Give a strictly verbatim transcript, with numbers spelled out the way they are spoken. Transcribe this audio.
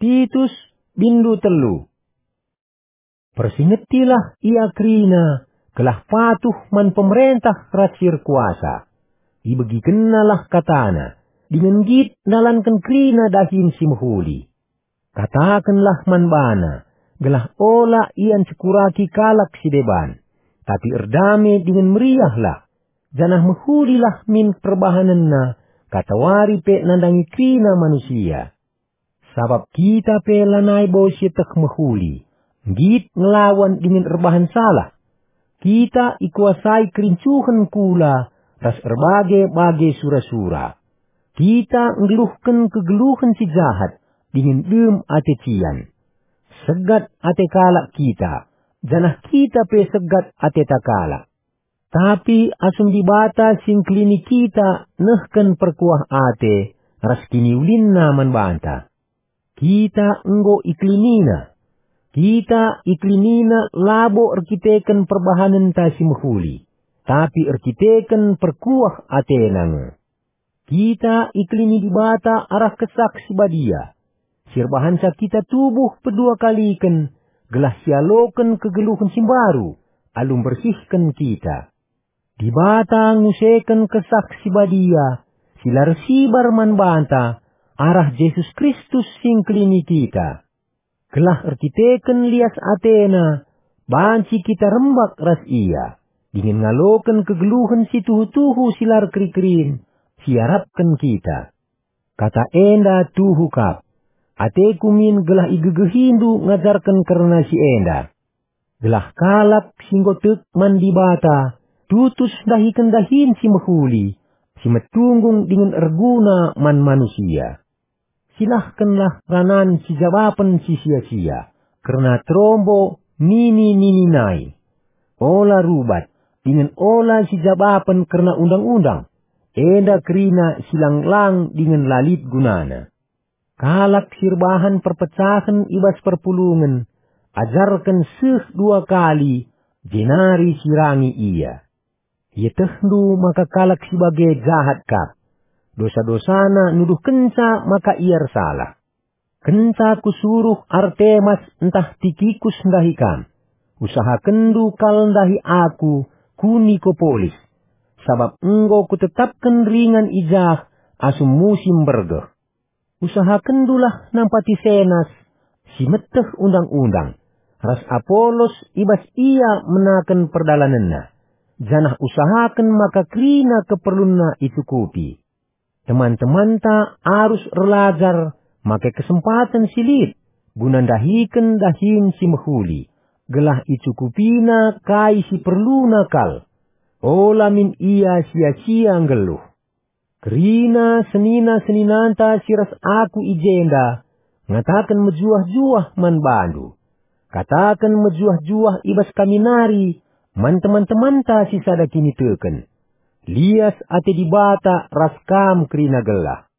Titus, bindu telu. Persingetilah ia kerina, gelah patuh man pemerentah ras si erkuasa. Ibegikennalah katana, dingen nggit ndalanken kerina dahin si mehuli. Katakenlah man bana, gelah ola ia ncekuraki kalak si deban, tapi erdame dingen meriahlah, janah mehulilah min perbahanenna, katawari pe nandangi kerina manusia. Sabap kita pe lanai bo sieteh mehuli, nggit ngelawan dingen erbahan salah. Kita ikuasai kerincuhen kula ras erbage-bage sura-sura. Kita nggeluhken kegeluhen si jahat dingen dem ate cian. Segat ate kalak kita, janah kita pe segat ateta kalak. Tapi asum Dibata si engkelini kita nehken perkuah ate ras kiniulinNa man banta, kita enggo ikelininNa. Kita ikelininNa labo erkiteken perbahanenta si mehuli, tapi erkiteken perkuah ateNa nge. Kita ikelini Dibata arah Kesah Si Badia, si erbahanca kita tubuh pedua kaliken, gelah sialoken kegeluhen si mbaru, alu mbersihken kita. Dibata nguseken Kesah Si Badia, si la ersibar man banta, arah Jesus Kristus si engkelini kita. Gelah erkiteken lias ateNa, banci kita rembak ras Ia, dingen ngaloken kegeluhen si tuhu-tuhu si la erkeri-kerin, si iarapken kita. Kata enda tuhu kap. Ateku min gelah igegehindu ngajarken kerna si enda. Gelah kalak si enggo tek man Dibata tutus ndahiken dahin si mehuli, si metunggung dingen erguna man manusia. Silahkenlah ranan sijabapen si sia-sia, kerna terombo nini-nini nai. Ola rubat, dingen ola sijabapen kerna undang-undang, enda kerina si lang-lang dingen la lit gunana. Kalak si erbahan perpecahen i bas perpulungen, ajarken seh dua kali, jenari sirangi ia. Ietehndu maka kalak si bage jahat kap. Dosa-dosana nuduhkenca maka ia ersalah. Kenca kusuruh Artemas ntah Tikikus ndahi kam, usahakenndu kal ndahi aku ku Nikopolis, sabap enggo kutetapken ringan i jah asum musim mbergeh. Usahakenndulah nampati Senas, si meteh undang-undang, ras Apolos i bas ia menaken perdalanenna, janah usahaken maka kerina keperlunna icukupi. Teman-temanta arus erlajar make kesempaten si lit guna ndahiken dahin si mehuli, gelah icukupina kai si perluna kal. Ola min ia sia-sia nggeluh. Kerina senina-seninanta si ras aku i jenda ngataken mejuah-juah man bandu. Kataken mejuah-juah i bas kami nari man teman-temanta si sada kiniteken. Lias ate Dibata ras kam kerina gelah.